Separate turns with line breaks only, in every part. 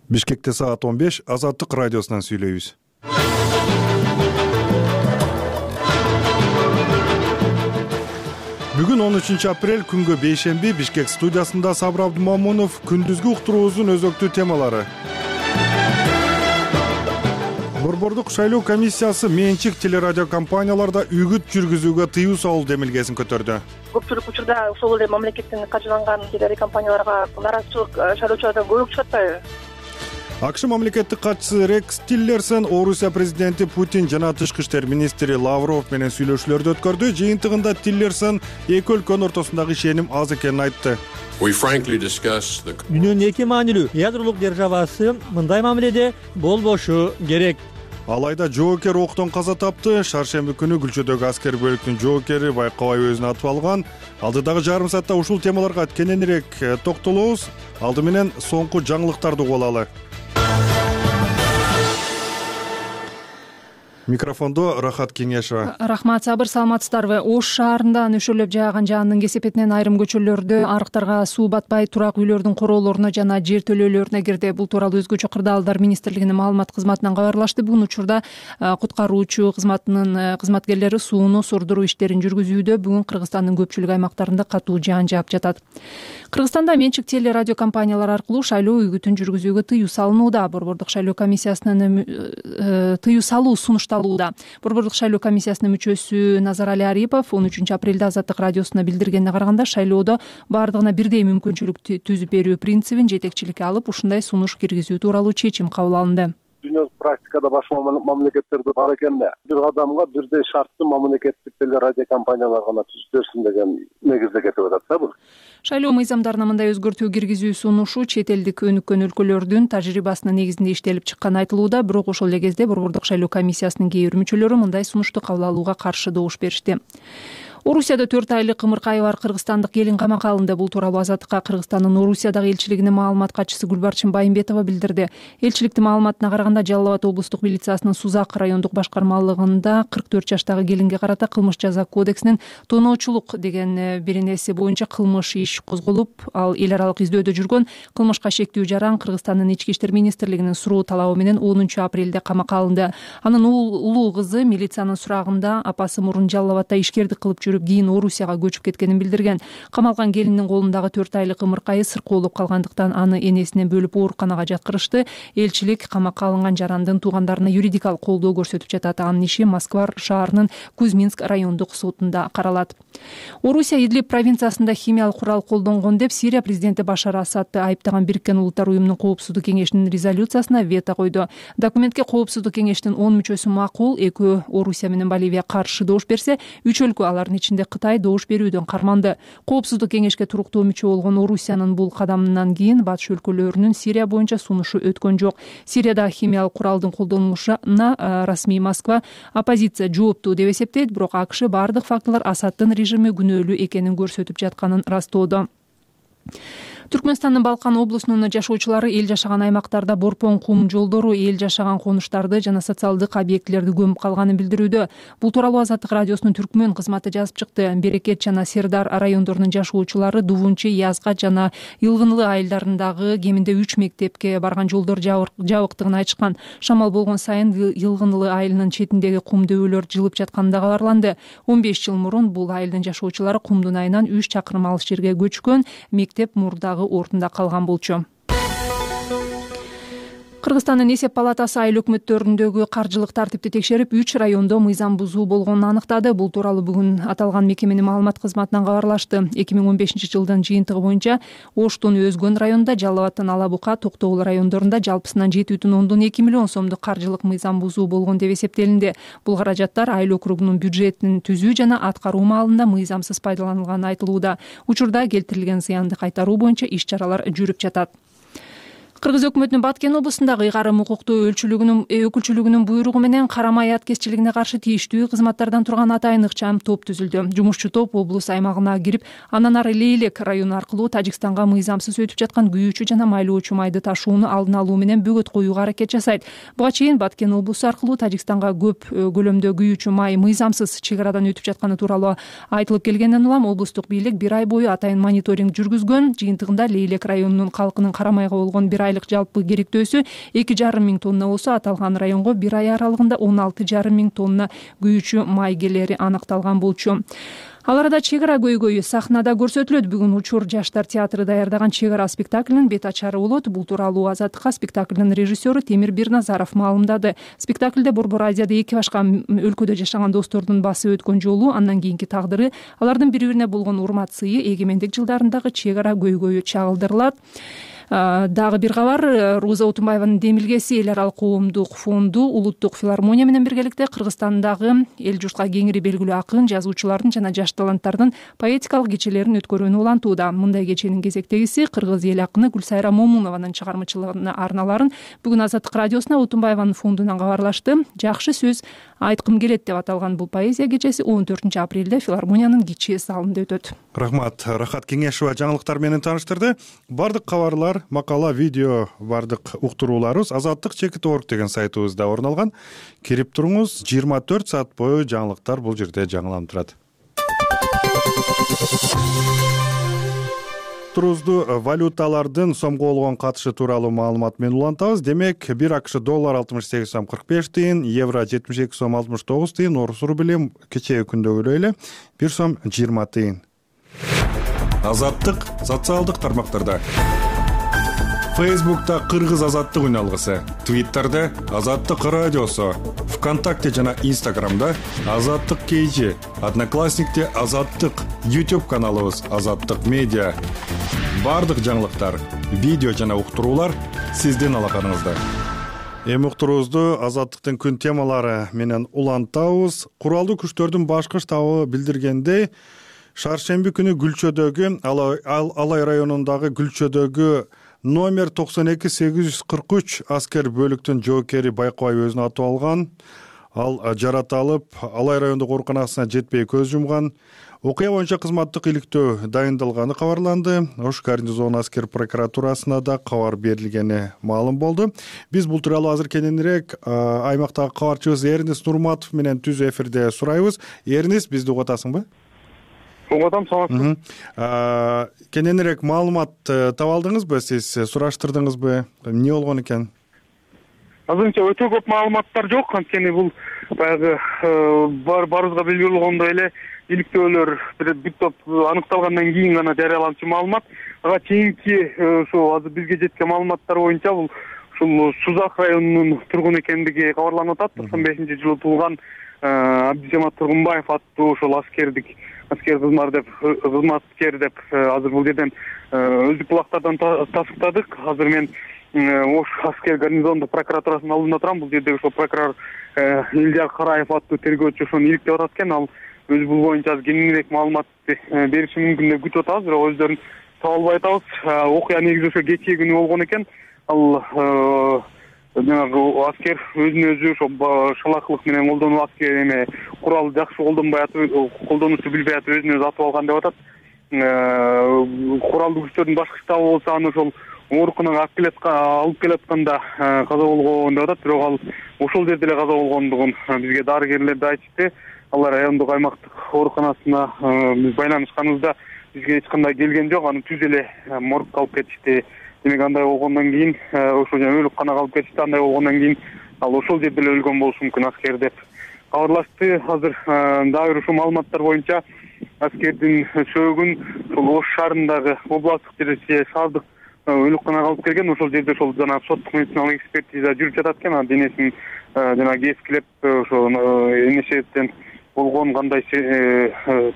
Бишкекте саат 15 Азаттык радиосунан сүйлөйбүз. Бүгүн 13 апрель күнгө бейшемби Бишкек студиясында Сабыр Абдумамунов күндүзгү уктуруубуздун өзөктүү темалары. Борбордук шайлоо комиссиясы менчик телерадио компанияларда үгүт жүргүзүүгө тыюу салуу демилгесин көтөрдү.
Көпчүлүк учурда ошол эле мамлекеттин каржыланган телерадио компанияларга нараазычылык шайлоочулардан көп чыгат атпайбы?
АКШ мамлекеттик катчысы Рекс Тиллерсон Орусия президенти Путин жана тышкы иштер министри Лавров менен сүйлөшүүлөрдү өткөрдү. Жыйынтыгында Тиллерсон эки өлкөнүн ортосундагы ишеним аз экенин айтты.
Дүйнөнүн эки маанилүү ядролук державасы мындай мамиледе болбошу керек.
Алайда жоокер октон каза тапты. Шаршемби күнү Күлчөдөгү аскер бөлүктүн жоокери байкабай өзүн атып алган. Алдыдагы жарым саатта ушул темаларга кененирээк токтолобуз. Алды менен соңку жаңылыктарды угуп алалы. Микрофондо Рахат Кеңешова.
Рахмат, Сабыр, саламатсыздарбы? Ош шаарында нөшөрлөп жааган жаандын кесепетинен айрым көчөлөрдө арыктарга суу батпай турак үйлөрдүн короолоруна жана жер төлөөлөрүнө кирди. Бул тууралуу Өзгөчө кырдаалдар министрлигинин маалымат кызматынан кабарлашты. Бүгүн учурда куткаруучу кызматынын кызматкерлери сууну сурдуруу иштерин жүргүзүүдө. Бүгүн Кыргызстандын көпчүлүк аймактарында катуу жаан жаап жатат. Кыргызстанда менчик телерадио компаниялар аркылуу шайлоо үгүтүн жүргүзүүгө тыюу салынууда. Борбордук шайлоо комиссиясынын тыюу салуу сунушталууда. Борбордук шайлоо комиссиясынын мүчөсү Назарали Арипов 13 апрелде Азаттык радиосуна билдиргенине караганда, шайлоодо баардыгына бирдей мүмкүнчүлүк түзүп берүү принцибин жетекчиликке алып, ушундай сунуш киргизүү тууралуу чечим кабыл алынды.
Дүйнөлүк практикада башка мамлекеттерде бар экен да. Бир адамга бирдей шартты мамлекеттик телерадио компаниялар гана түзүп берсин деген негизде кетип атат да бул.
Шайлоо мыйзамдарына мындай өзгөртүү киргизүү сунушу чет элдик өнүккөн өлкөлөрдүн тажрыйбасынын негизинде иштелип чыкканы айтылууда. Бирок ошол эле кезде Борбордук шайлоо комиссиясынын кээ бир мүчөлөрү мындай сунушту кабыл алууга каршы добуш беришти. Орусияда 4 айлык ымыркайы бар кыргызстандык келин камакка алынды. Бул тууралуу Азаттыкка Кыргызстандын Орусиядагы элчилигинин маалымат катчысы Гүлбарчын Байымбетова билдирди. Элчиликтин маалыматына караганда, Жалал Абад облустук милициясынын Сузак райондук башкармалыгында 44 жаштагы келинге карата кылмыш жаза кодексинин тоноочулук деген беренеси боюнча кылмыш иш козголуп, ал эл аралык издөдө жүргөн кылмышка шектүү жаран Кыргызстандын ички иштер министрлигинин суроо талабы менен 10 апрелде камакка алынды. Анын улуу кызы милициянын сурагында апасы мурун Жалал Абадда ишкердик кылып жүрүп, кийин Орусияга көчүп кеткенин билдирген. Камалган келиндин колундагы 4 айлык ымыркайы сыркоолоп калгандыктан аны энесинен бөлүп ооруканага жаткырышты. Элчилик камакка алынган жарандын туугандарына юридикалык колдоо көрсөтүп жатат. Анын иши Москва шаарынын Кузьминск райондук сотунда каралат. Орусия Идлиб провинциясында химиялык курал колдонгон деп Сирия президенти Башар Асадты айыптаган Бириккен Улуттар уюмунун коопсуздук кеңешинин резолюциясына вето койду. Документке коопсуздук кеңештин 10 мүчөсү макул, 2 Орусия менен Боливия каршы добуш берсе, 3 өлкө, алардын ичинде Кытай, добуш берүүдөн карманды. Коопсуздук кеңешке туруктуу мүчө болгон Орусиянын бул кадамынан кийин батыш өлкөлөрүнүн Сирия боюнча сунушу өткөн жок. Сирияда химиялык куралдын колдонулушуна расмий Москва оппозиция жооптуу деп эсептейт, бирок АКШ бардык фактылар Асадтын режими күнөөлүү экенин көрсөтүп жатканын растоодо. Түркмөнстандын Балкан облусунун жашоочулары эл жашаган аймактарда борпон кум жолдору, эл жашаган конуштарды жана социалдык объектилерди көмүп калганын билдирүүдө. Бул тууралуу Азаттык радиосунун Түркмөн кызматы жазып чыкты. Берекет жана Сердар райондорунун жашоочулары Дувунчи, Язгат жана Йылгынлы айылдарындагы кеминде 3 мектепке барган жолдор жабыктыгын айтышкан. Шамал болгон сайын Йылгынлы айылынын четиндеги кум дөбөлөр жылып жатканы да кабарланды. 15 жыл мурун бул айылдын жашоочулары кумдун айынан 3 чакырым алыс жерге көчкөн. Мектеп мурдагы ордунда калган болчу. Кыргызстандын эсеп палатасы айыл өкмөттөрүндөгү каржылык тартипти текшерип, 3 райондо мыйзам бузуу болгонун аныктады. Бул тууралуу бүгүн аталган мекеменин маалымат кызматынан кабарлашты. 2015 жылдын жыйынтыгы боюнча Оштун Өзгөн районунда, Жалал Абадтын Ала Бука, Токтогул райондорунда жалпысынан 7,2 миллион сомдук каржылык мыйзам бузуу болгон деп эсептелинди. Бул каражаттар айыл округунун бюджетин түзүү жана аткаруу маалында мыйзамсыз пайдаланылганы айтылууда. Учурда келтирилген зыянды кайтаруу боюнча иш-чаралар жүрүп жатат. Кыргыз өкмөтүнүн Баткен облусундагы ыйгарым укуктуу өкүлчүлүгүнүн буйругу менен карамай аткезчилигине каршы тийиштүү кызматтардан турган атайын ыкчам топ түзүлдү. Жумушчу топ облус аймагына кирип, андан ары Лейлек району аркылуу Тажикстанга мыйзамсыз өтүп жаткан күйүүчү жана майлоочу майды ташууну алдын алуу менен бөгөт коюуга аракет жасайт. Буга чейин Баткен облусу аркылуу Тажикстанга көп көлөмдө күйүүчү май мыйзамсыз чек арадан өтүп жатканы тууралуу айтылып келгенден улам облустук бийлик 1 ай бою атайын мониторинг жүргүзгөн. Жыйынтыгында Лейлек районунун калкынын карамайга болгон 1 айлык жалпы керектөөсү 2,5 миң тонна болсо, аталган районго бир ай аралыгында 16,5 миң тонна күйүүчү май келери анықталған болчу. Ал арада чек ара көйгөйү сахнада көрсөтүлөт. Бүгүн Учур жаштар театры даярдаган чек ара спектаклинин бет ачары болот. Бул тууралуу Азаттыкка спектаклдин режиссеру Темир Бирназаров маалымдады. Спектаклде Борбор Азияда эки башка өлкөдө жашаган достордун басып өткөн жолу, андан кийинки тагдыры, алардын бири-бирине болгон урмат сыйы, эгемендик жылдарындагы чек ара көйгөйү чагылдырылат. Дагы бир кабар, Руза Утунбаеванын демилгеси эл аралык коомдук фонду Улуттук филармония менен биргеликте Кыргызстандагы эл журтка кеңири белгилүү акын, жазуучулардын жана жаш таланттардын поэтикалык кечелерин өткөрүүнү улантууда. Мындай кеченин кезектегиси кыргыз эл акыны Гүлсайра Момунованын чыгармачылыгына арналарын бүгүн Азаттык радиосуна Утунбаеванын фондунан кабарлашты. Жакшы сөз айткым келет деп аталган бул поэзия кечеси 14 апрелде филармониянын кичи залында өтөт.
Рахмат. Рахат Кеңешова жаңылыктар менен тааныштырды. Бардык кабарлар, макала, видео, бардык уктурууларыбыз Азаттык.org деген сайтыбызда орун алган. Кирип туруңуз, 24 саат бою жаңылыктар бул жерде жаңыланып турат. Турузду валюталардын сомго болгон катышы тууралуу маалымат менен улантабыз. Демек, 1 АКШ доллар 68 сом 45 тыйын, евро 72 сом 69 тыйын, орус рубли кечээ күндөгүдөй эле 1 сом 20 тыйын. Азаттык социалдык тармактарда. Фейсбукта Кыргыз Азаттык үналгысы, Твиттерде Азаттык радиосу, ВКонтакте жана Инстаграмда Азаттык KG, Одноклассникте Азаттык, YouTube каналыбыз Азаттык медиа. Бардык жаңылыктар, видео жана уктуруулар сиздин алаканыңызда. Эми уктуруубузду Азаттыктын күн темалары менен улантабыз. Куралдуу күчтөрдүн башкы штабы билдиргендей, шаршемби күнү Гүлчөдөгү, Алай районундагы Гүлчөдөгү номер 92843 аскер бөлүктүн жоокери Байкабай өзүнө атып алган. Ал жараталып, Алай райондук ооруканасына жетпей көз жумган. Окуя боюнча кызматтык иликтөө дайындалганы кабарланды. Ош гарнизон аскер прокуратурасына да кабар берилгени маалым болду. Биз бул тууралуу азыр кененирээк аймактагы кабарчыбыз Эрнис Нурматов менен түз эфирде сурайбыз. Эрнис, бизди угуп атасыңбы?
Угатам, саламатсызбы.
Кененирээк маалымат таба алдыңызбы, сиз сураштырдыңызбы? Эмне болгон экен?
Азырынча өтө көп маалыматтар жок, анткени бул баягы баарыбызга белгилүү болгондой эле иликтөөлөр бир топ аныкталгандан кийин гана жарыяланчу маалымат. Ага чейинки ошо азыр бизге жеткен маалыматтар боюнча бул ушул Сузак районунун тургуну экендиги кабарланып атат. 95-жылы туулган Абдижамат Тургунбаев аттуу ошол аскер кызматкер деп азыр бул жерден өздүк булактардан тастыктадык. Азыр мен Ош аскер гарнизондук прокуратурасынын алдында турам. Бул жерде ошол прокурор Илжар Караев аттуу тергөөчү ошону иликтеп атат экен. Ал өзү бул боюнча кеңирээк маалымат бериши мүмкүн деп күтүп атабыз, бирок өздөрүн таба албай атабыз. Окуя негизи ошо кечээ күнү болгон экен. Ал жанагы аскер өзүн өзү ошо шалакылык менен колдонуп, аскер эме курал жакшы колдонуучу билбей атып өзүн өзү атып алган деп атат. Куралдуу күчтөрдүн башкы штабы болсо аны ошол ооруканага алып келатканда каза болгон деп атат. Бирок ал ошол жерде эле каза болгондугун бизге дарыгерлер да айтышты. Алар райондук аймактык ооруканасына биз байланышканыбызда бизге эч кандай келген жок. Аны түз эле моргко алып кетишти. Демек андай болгондон кийин ошо өлүкканага алып кетишти. Андай болгондон кийин ал ошол жерде эле өлгөн болушу мүмкүн аскер деп кабарлашты. Азыр дагы бир ушул маалыматтар боюнча аскердин сөөгүн ошол Ош шаарындагы областтык же шаардык өлүкканага алып келген. Ошол жерде ошол жана соттук медициналык экспертиза жүрүп жатат экен. Денесин жана кескилеп ошо энешеттен болгон кандай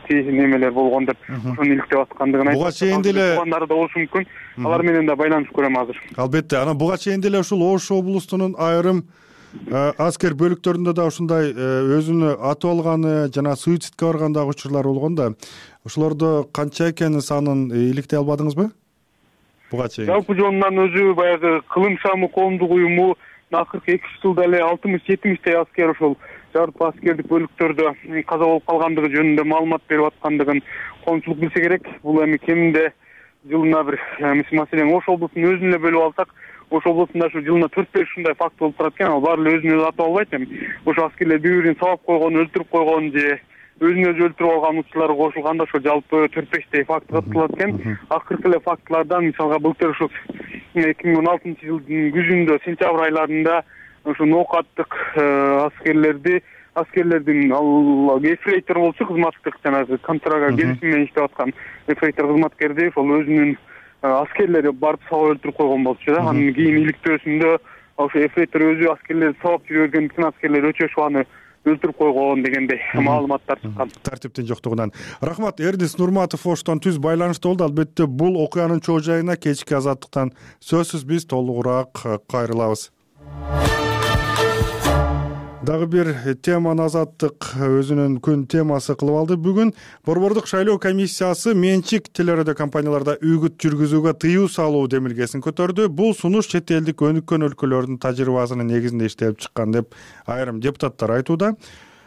немелер болгон деп ошону иликтеп аткандыгын айтып.
Буга чейин деле
туугандары да болушу мүмкүн. Алар менен да байланышып көрөм азыр.
Албетте, анан буга чейин деле ушул Ош облустунун айрым аскер бөлүктөрүндө да ушундай өзүнө атып алганы жана суицидке барган дагы учурлар болгон да. Ошолордо канча экенин санын иликтей албадыңызбы? Буга чейин.
Жалпы жонунан өзү баягы кылым шамы коомдук уюму акыркы 2 жылда эле 60-70 аскер ошол жалпы аскердик бөлүктөрдө каза болуп калгандыгы жөнүндө маалымат берип аткандыгын коомчулук билсе керек. Бул эми кеминде жылына бир маселен Ош облусун өзүн эле бөлүп алсак, Ош облусунда ушу жылына 4-5 ушундай факт болуп турат экен. Ал баары эле өзүн өзү атып албайт. Эми ошо аскерлер бири-бирин сабап койгон, өлтүрүп койгон же өзүн өзү өлтүрүп алган учурлары кошулганда ошо жалпы 4-5 факт катталат экен. Акыркы эле фактылардан мисалга былтыр ушу 2016 жылдын күзүндө, сентябрь айларында ушу ноокаттык аскерлердин ал ефрейтор болчу, кызматтык жанагы контрага келишим менен иштеп аткан ефрейтор кызматкерди ошол өзүнүн аскерлери барып сабап өлтүрүп койгон болчу да. Анын кийин иликтөөсүндө ошо ефрейтор өзү аскерлерди сабап жүрүп бергендиктен аскерлер өчөшүп аны өлтүрүп койгон дегендей маалыматтар чыккан.
Тартиптин жоктугунан. Рахмат. Эрдис Нурматов Оштон түз байланышта болду. Албетте бул окуянын чоо жайына кечки азаттыктан сөзсүз биз толугураак кайрылабыз. Дагы бир теманы Азаттык өзүнүн күн темасы кылып алды. Бүгүн Борбордук шайлоо комиссиясы менчик телерадио компанияларда үгүт жүргүзүүгө тыюу салуу демилгесин көтөрдү. Бул сунуш чет элдик өнүккөн өлкөлөрдүн тажрыйбасынын негизинде иштелип чыккан деп айрым депутаттар айтууда.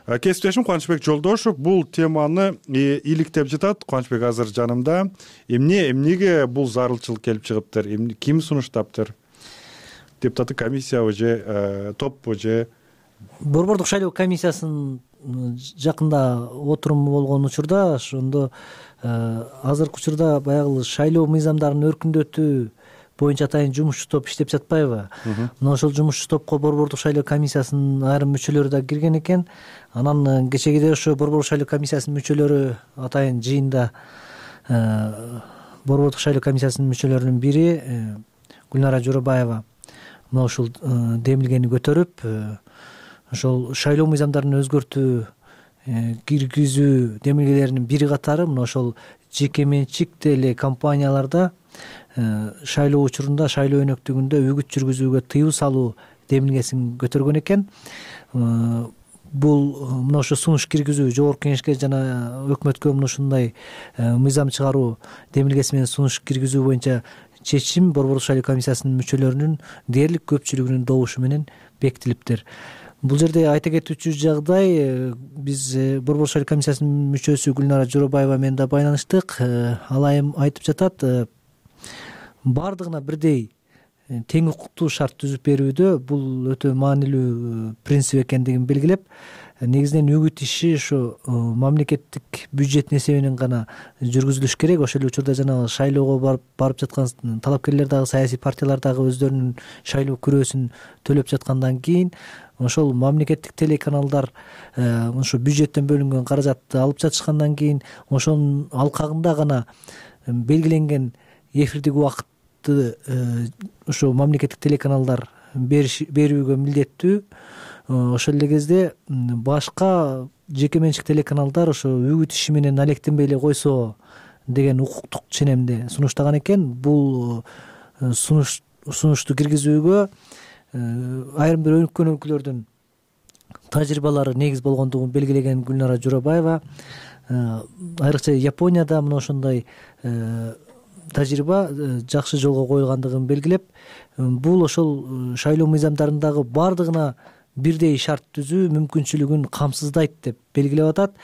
Кесиптешим Кубанычбек Жолдошов бул теманы иликтеп жатат. Кубанычбек азыр жанымда. Эмнеге бул зарылчылык келип чыгыптыр? Ким сунуштаптыр? Депутаттык комиссиябы же топпу же?
Борбордук шайлоо комиссиясынын жакында отуруму болгон учурда ошондо азыркы учурда баягы шайлоо мыйзамдарын өркүндөтүү боюнча атайын жумушчу топ иштеп жатпайбы? Мына ошол жумушчу топко Борбордук шайлоо комиссиясынын айрым мүчөлөрү да кирген экен. Анан кечегиде ошо Борбордук шайлоо комиссиясынын мүчөлөрү атайын жыйында Борбордук шайлоо комиссиясынын мүчөлөрүнүн бири Гүлнара Жоробаева мына ушул демилгени көтөрүп, ошол шайлоо мыйзамдарын өзгөртүү киргизүү демилгелеринин бири катары мына ошол жеке менчик телекомпанияларда шайлоо учурунда, шайлоо өнөктүгүндө үгүт жүргүзүүгө тыюу салуу демилгесин көтөргөн экен. Бул мына ошо сунуш киргизүү жогорку кеңешке жана өкмөткө мына ушундай мыйзам чыгаруу демилгеси менен сунуш киргизүү боюнча чечим Борбордук шайлоо комиссиясынын мүчөлөрүнүн дээрлик көпчүлүгүнүн добушу менен бекитилиптир. Бул жерде айта кетүүчү жагдай, биз Борбордук шайлоо комиссиясынын мүчөсү Гүлнара Жоробаева менен да байланыштык. Ал айым айтып жатат, бардыгына бирдей тең укуктуу шарт түзүп берүүдө бул өтө маанилүү принцип экендигин белгилеп, негизинен үгүт иши ушу мамлекеттик бюджеттин эсебинен гана жүргүзүлүш керек. Ошол эле учурда жанагы шайлоого барып жаткан талапкерлер дагы, саясий партиялар дагы өздөрүнүн шайлоо күрөөсүн төлөп жаткандан кийин ошол мамлекеттик телеканалдар ошо бюджеттен бөлүнгөн каражатты алып жатышкандан кийин ошонун алкагында гана белгиленген эфирдик убакытты ошо мамлекеттик телеканалдар берүүгө милдеттүү. Ошол эле кезде башка жеке менчик телеканалдар ошо үгүт иши менен алектенбей эле койсо деген укуктук ченемди сунуштаган экен. Бул сунушту киргизүүгө айрым бир өнүккөн өлкөлөрдүн тажрыйбалары негиз болгондугун белгилеген Гүлнара Жоробаева, айрыкча Японияда мына ошондой тажрыйба жакшы жолго коюлгандыгын белгилеп, бул ошол шайлоо мыйзамдарындагы бардыгына бирдей шарт түзүү мүмкүнчүлүгүн камсыздайт деп белгилеп атат.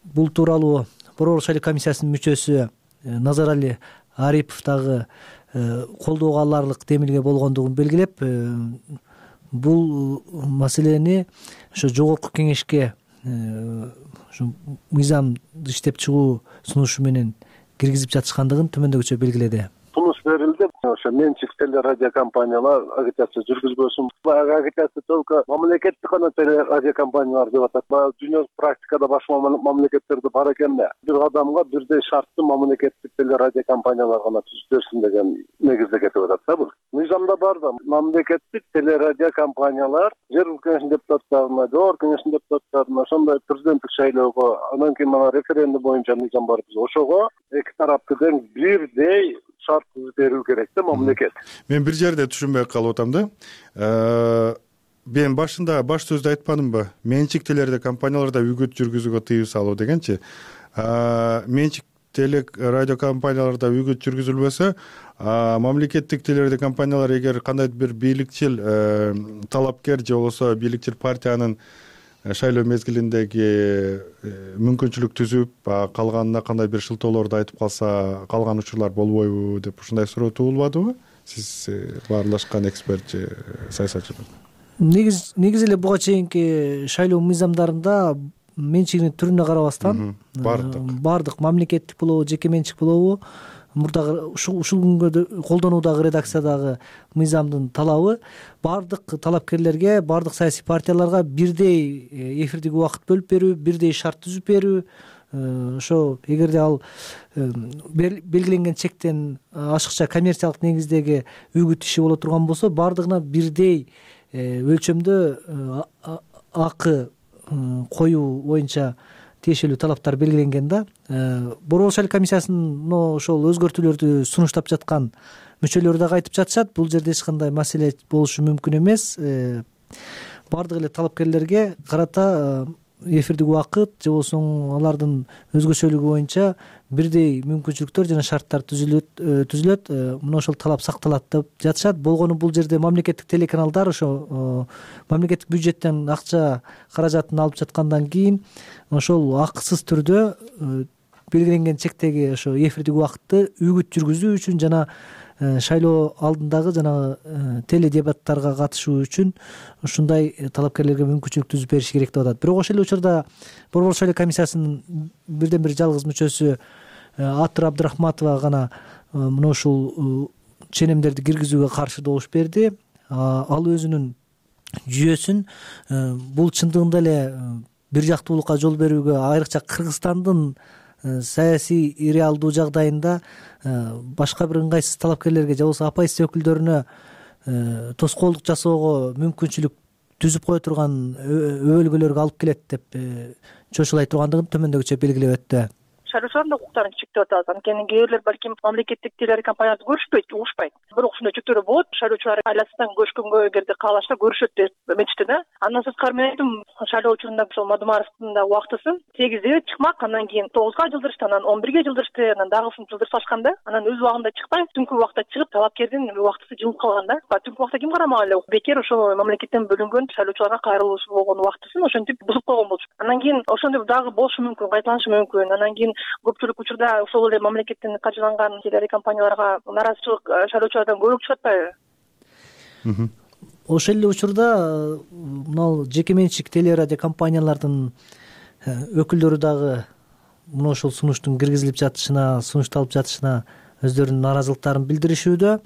Бул тууралуу Борбордук шайлоо комиссиясынын мүчөсү Назарали Арипов дагы колдоого аларлык демилге болгондугун белгилеп, бул маселени ошо жогорку кеңешке ушу мыйзамды иштеп чыгуу сунушу менен киргизип жатышкандыгын төмөндөгүчө белгиледи.
Сунуш берилди. Ошо менчик телерадио компаниялар агитация жүргүзбөсүн. Баягы агитация только мамлекеттик гана телерадио компаниялар деп атат. Баягы дүйнөлүк практикада башка мамлекеттерде бар экен да. Бир адамга бирдей шартты мамлекеттик телерадио компаниялар гана түзүп берсин деген негизде кетип атат да бул. Мыйзамда бар да, мамлекеттик телерадио компаниялар жергиликтүү кеңештин депутаттарына, жогорку кеңештин депутаттарына, ошондой президенттик шайлоого, андан кийин мына референдум боюнча мыйзам бар биз. Ошого эки тарапты тең бирдей шарт түзүп берүү керек да мамлекет.
Мен бир жерде түшүнбөй калып атам да. Мен башында баш сөздө айтпадымбы? Менчик телерадио компанияларда үгүт жүргүзүүгө тыюу салуу дегенчи. Менчик телерадио компанияларда үгүт жүргүзүлбөсө, мамлекеттик телерадио компаниялар эгер кандайдыр бир бийликчил талапкер же болбосо бийликчил партиянын шайлоо мезгилиндеги мүмкүнчүлүк түзүп, калганына кандай бир шылтоолорду айтып калса, калган учурлар болбойбу деп ушундай суроо туулбадыбы? Сиз баарлашкан эксперт же саясатчы.
Негизи эле буга чейинки шайлоо мыйзамдарында менчигинин түрүнө карабастан баардык мамлекеттик болобу жеке менчик болобу мурдагы ушул күнгө колдонуудагы редакциядагы мыйзамдын талабы баардык талапкерлерге, баардык саясий партияларга бирдей эфирдик убакыт бөлүп берүү, бирдей шарт түзүп берүү. Ошо эгерде ал белгиленген чектен ашыкча коммерциялык негиздеги үгүт иши боло турган болсо, баардыгына бирдей өлчөмдө акы коюу боюнча тиешелүү талаптар белгиленген да. Борбор шайлоо комиссиясынын ошол өзгөртүүлөрдү сунуштап жаткан мүчөлөрү дагы айтып жатышат. Бул жерде эч кандай маселе болушу мүмкүн эмес. Баардык эле талапкерлерге карата эфирдик убакыт же болбосо алардын өзгөчөлүгү боюнча бирдей мүмкүнчүлүктөр жана шарттар түзүлөт. Мына ошол талап сакталат деп жатышат. Болгону бул жерде мамлекеттик телеканалдар ошо мамлекеттик бюджеттен акча каражатын алып жаткандан кийин ошол акысыз түрдө белгиленген чектеги ошо эфирдик убакытты үгүт жүргүзүү үчүн жана шайлоо алдындагы жанагы теледебаттарга катышуу үчүн ушундай талапкерлерге мүмкүнчүлүк түзүп бериш керек деп атат. Бирок ошол эле учурда Борбор шайлоо комиссиясынын бирден бир жалгыз мүчөсү Атыр Абдрахматова гана мына ушул ченемдерди киргизүүгө каршы добуш берди. Ал өзүнүн жүйөсүн бул чындыгында эле бир жактуулукка жол берүүгө, айрыкча Кыргызстандын саясий реалдуу жагдайында башка бир ыңгайсыз талапкерлерге же болбосо оппозиция өкүлдөрүнө тоскоолдук жасоого мүмкүнчүлүк түзүп кое турган өбөлгөлөргө алып келет деп чочулай тургандыгын төмөндөгүчө белгилеп өттү.
Шайлоочулардын укуктарын чектеп атабыз. Анткени кээ бирлер балким мамлекеттик телерадиокомпанияларды көрүшпөйт, угушпайт. Бирок ушундай чектөөлөр болот. Шайлоочулар айласынан көчкөнгө эгерде каалашса көрүшөт деп эметишти да. Андан сырткары мен айттым, шайлоо учурунда ошол Мадумаровдун да убактысын 8-де чыкмак, андан кийин 9га жылдырышты, анан 11ге жылдырышты, анан дагысын жылдырсашкан да. Анан өз убагында чыкпай, түнкү убакта чыгып, талапкердин убактысы жылып калган да. Түнкү убакта ким карамак эле? Бекер ошо мамлекеттен бөлүнгөн шайлоочуларга кайрылуусу болгон убактысын ошентип бузуп койгон болчу. Андан кийин ошондой дагы болушу мүмкүн, кайталанышы мүмкүн. Андан кийин көпчүлүк учурда ошол эле мамлекеттен каржыланган телерадиокомпанияларга наразычылык шайлоочулардан көбүрөөк чыгат атпайбы?
Ошол эле учурда мына жеке менчик телерадиокомпаниялардын өкүлдөрү дагы мына ошол сунуштун киргизилип жатышына, сунушталып жатышына өздөрүнүн наразылыктарын билдиришүүдө.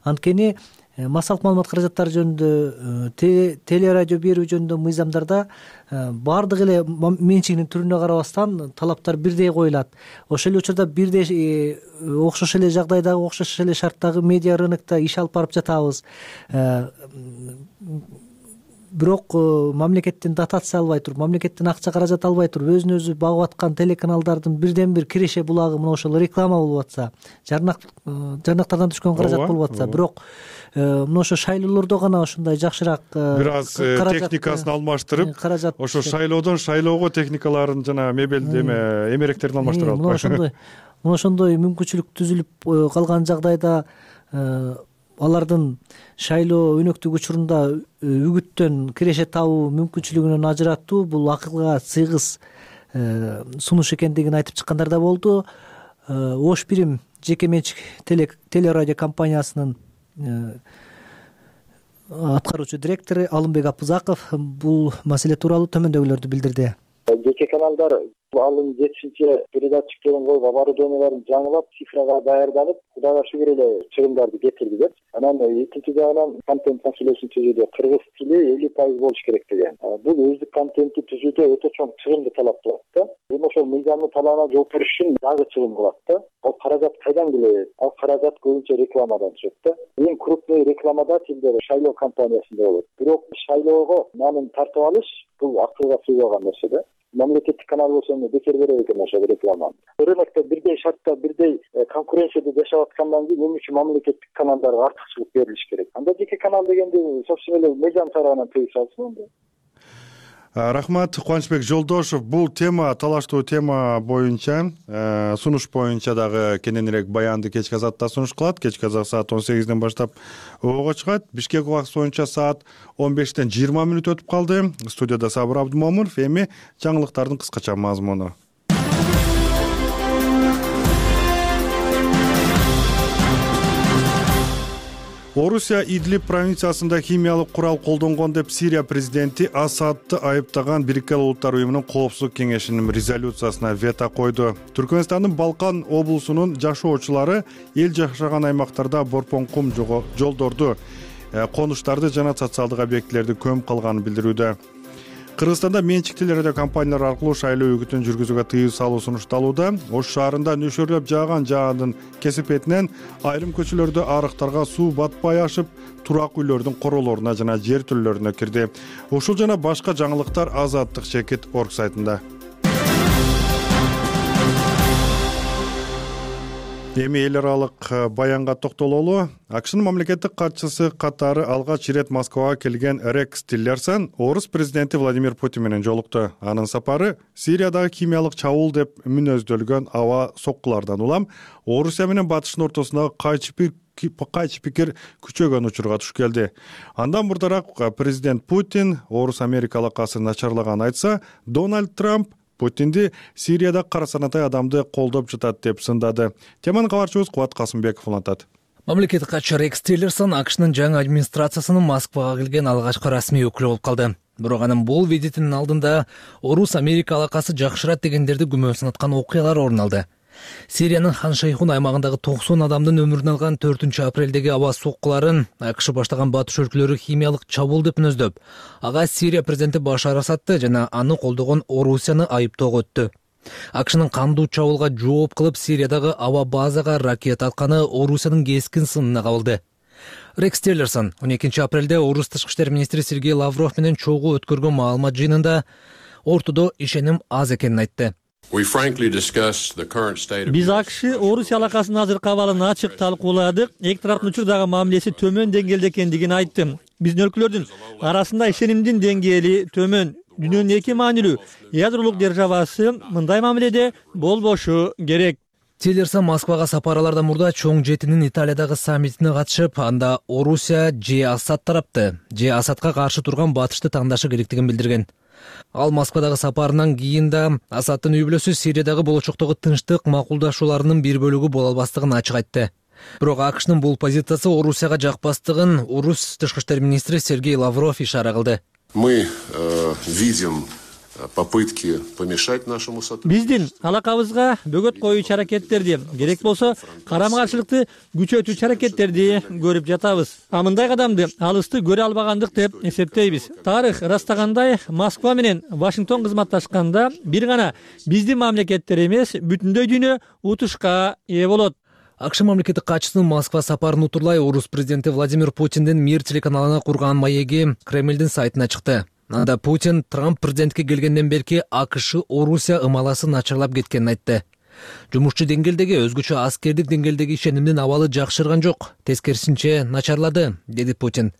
Анткени массалык маалымат каражаттары жөнүндө, телерадио берүү жөнүндө мыйзамдарда баардык эле менчигинин түрүнө карабастан талаптар бирдей коюлат. Ошол эле учурда бирдей окшош эле жагдайдагы, окшош эле шарттагы медиа рынокто иш алып барып жатабыз. Бирок мамлекеттен дотация албай туруп, мамлекеттен акча каражат албай туруп, өзүн өзү багып аткан телеканалдардын бирден бир киреше булагы мына ошол реклама болуп атса, жарнактардан түшкөн каражат болуп атса, бирок мына ошо шайлоолордо гана ошондой жакшыраак бир аз
техникасын алмаштырып, ошо шайлоодон шайлоого техникаларын жана мебелди эмеректерин алмаштыра алып,
мына ошондой мүмкүнчүлүк түзүлүп калган жагдайда алардын шайлоо өнөктүк учурунда үгүттөн киреше табуу мүмкүнчүлүгүнөн ажыратуу бул акылга сыйгыз сунуш экендигин айтып чыккандар да болду. Ош бирим жеке менчик телерадио компаниясынын аткаруучу директору Алымбек Апызаков бул маселе тууралуу төмөндөгүлөрдү билдирди.
Жеке каналдар алын жетишинче передатчиктерин коюп, оборудованияларын жаңылап, цифрага даярданып, Кудайга шүгүр эле чыгымдарды кетирди. Анан экинчи жагынан контент маселесин түзүүдө кыргыз тили 50% болуш керек деген. Бул өздүк контентти түзүүдө өтө чоң чыгымды талап кылат да. Эми ошол мыйзамдын талабына жооп бериш үчүн дагы чыгым кылат да. Ал каражат кайдан келет? Ал каражат көбүнчө рекламадан түшөт да. Эң крупный рекламодателдер шайлоо компаниясында болот. Бирок шайлоого нанын тартып алыш бул акылга сыйбаган нерсе да. Мамлекеттик канал болсо бекер берет экен ошол рекламаны. Рынокто бирдей шартта, бирдей конкуренцияда жашап аткандан кийин эмне үчүн мамлекеттик каналдарга артыкчылык берилиш керек? Анда жеке канал дегенди собственно эле мыйзам тарабынан тийип салсын.
Рахмат, Кубанычбек Жолдошов. Бул тема, талаштуу тема боюнча, сунуш боюнча дагы кененирээк баянды кечки азатта сунуш кылат. Кечки азат саат 18ден баштап ого чыгат. Бишкек убакыты боюнча саат 15ден 20 мүнөт өтүп калды. Студияда Сабыр Абдумомунов, эми жаңылыктардын кыскача мазмуну. Орусия Идлиб провинциясында химиялык курал колдонгон деп Сирия президенти Асадты айыптаган Бириккен Улуттар уюмунун коопсуздук кеңешинин резолюциясына вето койду. Түркмөнстандын Балкан облусунун жашоочулары эл жашаган аймактарда борпон кум жолдорду, конуштарды жана социалдык объектилерди көмүп калганын билдирүүдө. Кыргызстанда менчиктүү радиокомпаниялар аркылуу шайлоо үгүтүн жүргүзүүгө тыюу салуу сунушталууда. Ош шаарында нөшөрлөп жааган жаандын кесипетинен айрым көчөлөрдө арыктарга суу батпай ашып, турак үйлөрдүн королоруна жана жертөлөлөрүнө кирди. Ушул жана башка жаңылыктар Азаттык Чекит орг сайтында. Эми эл аралык баянга токтололу. АКШнын мамлекеттик катчысы катары алгач ирет Москвага келген Рекс Тиллерсон орус президенти Владимир Путин менен жолукту. Анын сапары Сириядагы химиялык чабуул деп мүнөздөлгөн аба соккулардан улам Орусия менен Батыштын ортосундагы кайчы пикир күчөгөн учурга туш келди. Андан мурдараак президент Путин орус Америка алакасы начарлаганын айтса, Дональд Трамп Путинди Сирияда кара санатай адамды колдоп жатат деп сындады. Теманы кабарчыбыз Кубат Касымбеков улантат.
Мамлекеттик катчы Рекс Тиллерсон АКШнын жаңы администрациясынын Москвага келген алгачкы расмий өкүлү болуп калды. Бирок анын бул визитинин алдында орус Америка алакасы жакшырат дегендерди күмөн санаткан окуялар орун алды. Сириянын Хан Шейхун аймагындагы 90 адамдын өмүрүн алган 4-апрелдеги аба соккуларын АКШ баштаган батыш өлкөлөрү химиялык чабуул деп мүнөздөп, ага Сирия президенти Башар Асадты жана аны колдогон Орусияны айыптоого өттү. АКШнын кандуу чабуулга жооп кылып Сириядагы аба базага ракета атканы Орусиянын кескин сынына кабылды. Рекс Тиллерсон 12-апрелде орус тышкы иштер министри Сергей Лавров менен чогуу өткөргөн маалымат жыйынында ортодо ишеним аз экенин айтты.
Биз АКШ Орусия алакасынын азыркы абалын ачык талкууладык. Эки тараптын учурдагы мамилеси төмөн деңгээлде экендигин айттым. Биздин өлкөлөрдүн арасында ишенимдин деңгээли төмөн. Дүйнөнүн эки маанилүү ядролук державасы мындай мамиледе болбошу керек.
Тиллерсон Москвага сапаралардан мурда чоң жетинин Италиядагы саммитине катышып, анда Орусия же Асад тарапты, же Асадка каршы турган батышты таңдашы керектигин билдирген. Ал Москвадагы сапарынан кийин да Асадтын үй бүлөсү Сириядагы болочоктогу тынчтык макулдашууларынын бир бөлүгү боло албастыгын ачык айтты. Бирок АКШнын бул позициясы Орусияга жакпастыгын орус тышкы иштер министри Сергей Лавров ишара кылды.
Мы видим попытки помешать нашему сотрудничеству.
Биздин алакабызга бөгөт коюучу аракеттерди, керек болсо карама-каршылыкты күчөтүүчү аракеттерди көрүп жатабыз. Мындай кадамды алысты көрө албагандык деп эсептейбиз. Тарых ырастагандай, Москва менен Вашингтон кызматташканда бир гана биздин мамлекеттер эмес, бүтүндөй дүйнө утушка ээ болот. АКШ мамлекеттик катчысынын Москва сапарын утурлай орус президенти Владимир Путиндин Мир телеканалына курган маеги Кремлдин сайтына чыкты. Анда Путин Трамп президентке келгенден берки АКШ Орусия ымаласы начарлап кеткенин айтты. Жумушчу деңгээлдеги өзгөчө аскердик деңгээлдеги ишенимдин абалы жакшырган жок, тескерисинче начарлады, деди Путин.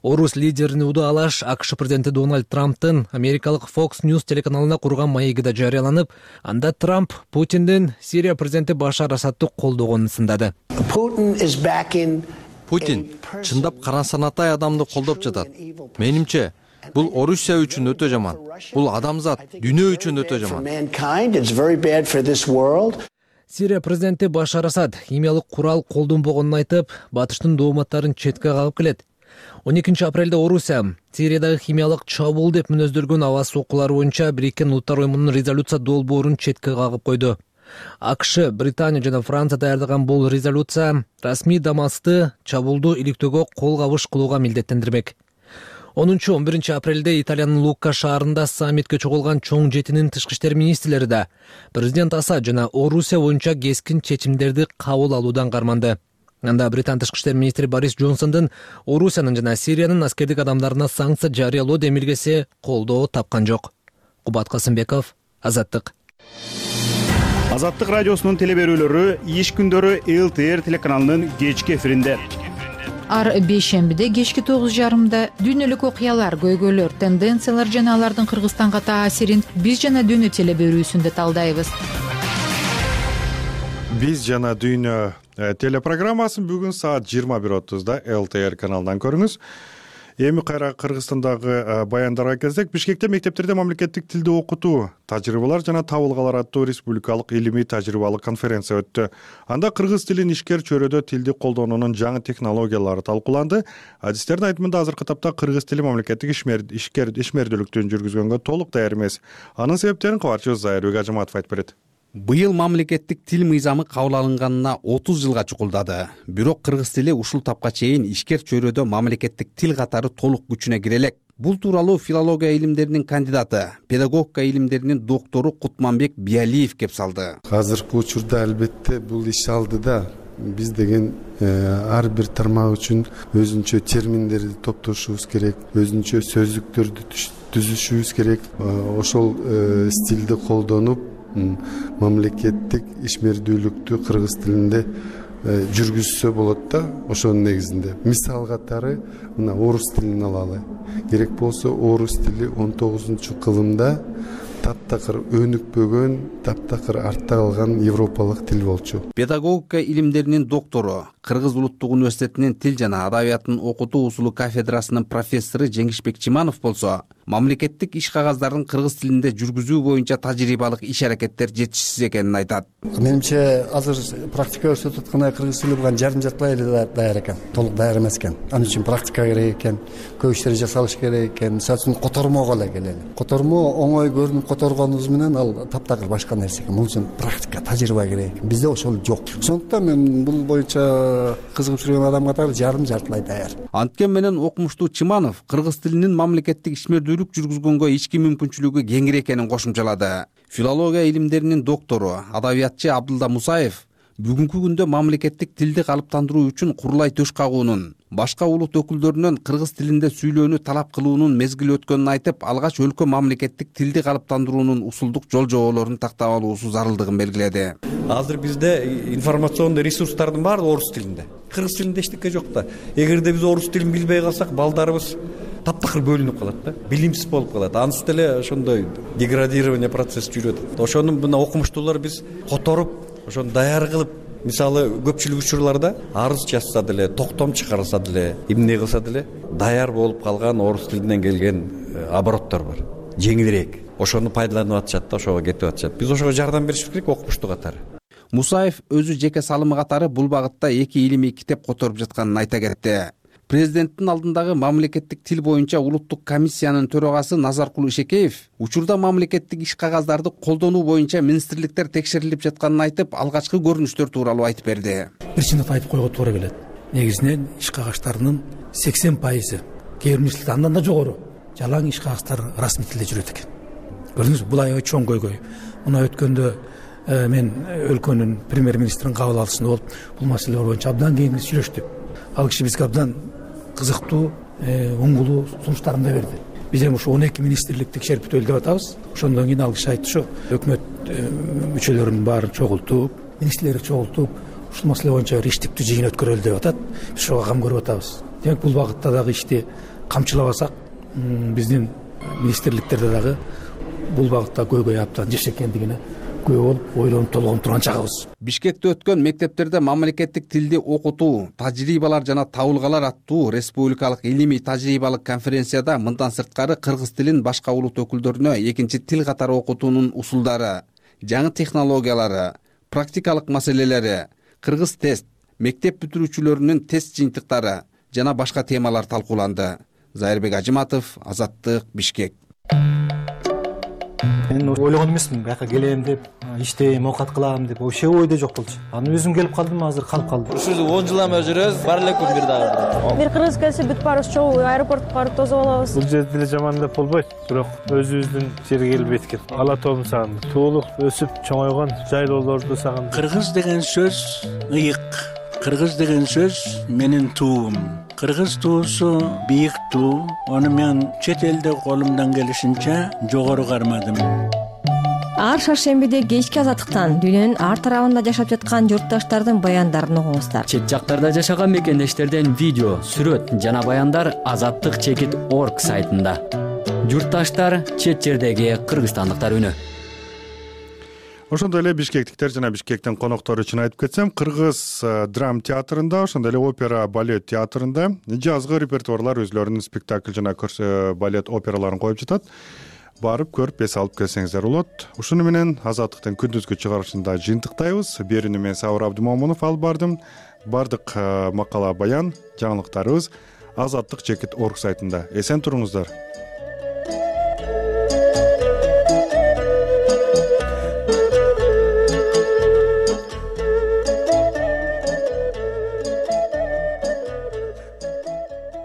Орус лидерин удаалаш АКШ президенти Дональд Трамптын америкалык Fox News телеканалына курган маеги да жарыяланып, анда Трамп Путиндин Сирия президенти Башар Асадты колдогонун сындады.
Путин чындап кара санатай адамды колдоп жатат. Менимче, бул Орусия үчүн өтө жаман. Бул адамзат, дүйнө үчүн өтө жаман.
Сирия президенти Башар Асад химиялык курал колдонбогонун айтып, батыштын дооматтарын четке кагып келет. 12-апрелде Орусия Сириядагы химиялык чабуул деп мүнөздөлгөн аба соккулары боюнча Бириккен Улуттар уюмунун резолюция долбоорун четке кагып койду. АКШ, Британия жана Франция даярдаган бул резолюция расмий Дамасты чабуулду иликтөөгө кол кабыш кылууга милдеттендирмек. 10-11 апрелде Италиянын Лукка шаарында саммитке чогулган чоң жетинин тышкы иштер министрлери да президент Асад жана Орусия боюнча кескин чечимдерди кабыл алуудан карманды. Анда Британ тышкы иштер министри Борис Джонсондун Орусиянын жана Сириянын аскердик адамдарына санкция жарыялоо демилгеси колдоо тапкан жок. Кубат Касымбеков, Азаттык.
Азаттык радиосунун телеберүүлөрү иш күндөрү ЛТР телеканалынын кечки эфиринде.
Ар бейшембиде кечки 9:30 дүйнөлүк окуялар, көйгөйлөр, тенденциялар жана алардын Кыргызстанга таасирин биз жана дүйнө телеберүүсүндө талдайбыз.
Биз жана дүйнө телепрограммасын бүгүн саат 21:30 ЛТР каналынан көрүңүз. Эми кайра Кыргызстандагы баяндарга келсек, Бишкекте мектептерде мамлекеттик тилди окутуу, тажрыйбалар жана табылгалар аттуу республикалык илимий тажрыйбалык конференция өттү. Анда кыргыз тилин ишкер чөйрөдө тилди колдонуунун жаңы технологиялары талкууланды. Адистердин айтымында азыркы тапта кыргыз тили мамлекеттик ишмердүүлүктүн жүргүзгөнгө толук даяр эмес. Анын себептерин кабарчыбыз Зайырбек Ажыматов айтып берет.
Быйыл мамлекеттик тил мыйзамы кабыл алынганына 30 жылга чукулдады. Бирок кыргыз тили ушул тапка чейин ишкер чөйрөдө мамлекеттик тил катары толук күчүнө кире элек. Бул тууралуу филология илимдеринин кандидаты, педагогика илимдеринин доктору Кутманбек Биалиев кеп салды.
Азыркы учурда албетте бул иш алдыда. Биз деген ар бир тармак үчүн өзүнчө терминдерди топтошубуз керек, өзүнчө сөздүктөрдү түзүшүбүз керек. Ошол стилди колдонуп мамлекеттик ишмердүүлүктү кыргыз тилинде жүргүзсө болот да. Ошонун негизинде мисал катары мына орус тилин алалы. Керек болсо орус тили 19-кылымда таптакыр өнүкпөгөн, таптакыр артта калган европалык тил болчу.
Педагогика илимдеринин доктору, Кыргыз улуттук университетинин тил жана адабиятын окутуу усулу кафедрасынын профессору Жеңишбек Чиманов болсо, мамлекеттик иш кагаздарын кыргыз тилинде жүргүзүү боюнча тажрыйбалык иш-аракеттер жетишсиз экенин айтат.
Менимче азыр практика көрсөтүп аткандай кыргыз тили буга жарым-жартылай эле даяр экен, толук даяр эмес экен. Анын үчүн практика керек экен, көп иштер жасалыш керек экен. Мисалы үчүн котормого эле келели. Котормо оңой көрүнүп которгонубуз менен ал таптакыр башка нерсе экен. Бул үчүн практика, тажрыйба керек. Бизде ошол жок. Ошондуктан мен бул боюнча кызыгып жүргөн адам катары жарым-жартылай даяр.
Анткени менен окумуштуу Чиманов кыргыз тилинин мамлекеттик ишмердүүлүк жүргүзгөнгө ички мүмкүнчүлүгү кеңири экенин кошумчалады. Филология илимдеринин доктору, адабиятчы Абдулда Мусаев бүгүнкү күндө мамлекеттик тилди калыптандыруу үчүн курулай төш кагуунун, башка улут өкүлдөрүнөн кыргыз тилинде сүйлөөнү талап кылуунун мезгили өткөнүн айтып, алгач өлкө мамлекеттик тилди калыптандыруунун усулдук жол жоболорун тактап алуусу зарылдыгын белгиледи.
Азыр бизде информационный ресурстардын баары орус тилинде. Кыргыз тилинде эчтеке жок да. Эгерде биз орус тилин билбей калсак, балдарыбыз таптакыр бөлүнүп калат да, билимсиз болуп калат. Ансыз деле ошондой деградирование процесси жүрөт. Ошону мына окумуштуулар биз которуп, ошону даяр кылып, мисалы көпчүлүк учурларда арыз жазса деле, токтом чыгарса деле, эмне кылса деле даяр болуп калган орус тилинен келген обороттор бар. Жеңилирээк. Ошону пайдаланып атышат да, ошого кетип атышат. Биз ошого жардам беришибиз керек окумуштуу катары.
Мусаев өзү жеке салымы катары бул багытта 2 илимий китеп которуп жатканын айта кетти. Президенттин алдындагы мамлекеттик тил боюнча улуттук комиссиянын төрагасы Назаркул Ишекеев учурда мамлекеттик иш кагаздарды колдонуу боюнча министрликтер текшерилип жатканын айтып, алгачкы көрүнүштөр тууралуу айтып берди.
Биринчиден айтып койгонго туура келет. Негизинен иш кагаштарынын 80%, кээ бир министрликте андан да жогору жалаң иш кагаздар расмий тилде жүрөт экен. Көрдүңүзбү, бул аябай чоң көйгөй. Мына өткөндө мен өлкөнүн премьер-министринин кабыл алышында болуп, бул маселелер боюнча абдан кеңири сүйлөштүк. Ал киши бизге абдан кызыктуу, оңгулуу сунуштарын да берди. Биз эми ушу 12 министрлик текшерип бүтөлү деп атабыз. Ошондон кийин ал киши айтты, өкмөт мүчөлөрүнүн баарын чогултуп, министрлерди чогултуп, ушул маселе боюнча бир иштиктүү жыйын өткөрөлү деп атат. Биз ошого кам көрүп атабыз. Демек бул багытта дагы ишти камчылабасак, биздин министрликтерде дагы бул багытта көйгөй абдан жеш экендигине күбө болуп, ойлонуп толгонуп турган чагыбыз.
Бишкекте өткөн мектептерде мамлекеттик тилди окутуу, тажрыйбалар жана табылгалар аттуу республикалык илимий тажрыйбалык конференцияда мындан сырткары кыргыз тилин башка улут өкүлдөрүнө экинчи тил катары окутуунун усулдары, жаңы технологиялары, практикалык маселелери, кыргыз тест, мектеп бүтүрүүчүлөрүнүн тест жыйынтыктары жана башка темалар талкууланды. Зайырбек Ажыматов, Азаттык, Бишкек.
Мен ойлогон эмесмин, бияка келем деп, иштейм, оокат кылам деп, вообще ойдо жок болчу. Анан өзүм келип калдым, азыр калып калдым.
Ушул 10 жыл эме жүрөбүз, бар эле күн бир дагы.
Бир кыргыз келсе бүт баарыбыз чогуу аэропортко барып тосуп алабыз.
Бул жерде деле жаман деп болбойт, бирок өзүбүздүн жерге келбейт экен. Ала тоом сагындым. Туулуп, өсүп, чоңойгон жайлоолорду сагындым.
Кыргыз деген сөз ыйык. Кыргыз деген сөз менин туум. Кыргыз туусу бийик туу. Аны мен чет элде колумдан келишинче жогору кармадым.
Ар шаршембиде кечки азаттыктан дүйнөнүн ар тарабында жашап жаткан журтташтардын баяндарын угуңуздар.
Чет жактарда жашаган мекендештерден видео, сүрөт жана баяндар azattik.org сайтында. Журтташтар, чет жердеги кыргызстандыктар үнү.
ошондой эле бишкектиктер жана Бишкектин коноктору үчүн айтып кетсем, кыргыз драм театрында, ошондой эле опера балет театрында жазгы репертуарлар өзлөрүнүн спектакль жана балет операларын коюп жатат. Барып көрүп эс алып келсеңиздер болот. Ушуну менен Азаттыктын күндүзгү чыгарылышында жыйынтыктайбыз. Берүүнү мен Сабыр Абдымомунов алып бардым. Бардык макала, баян, жаңылыктарыбыз Азаттык.org сайтында. Эсен туруңуздар.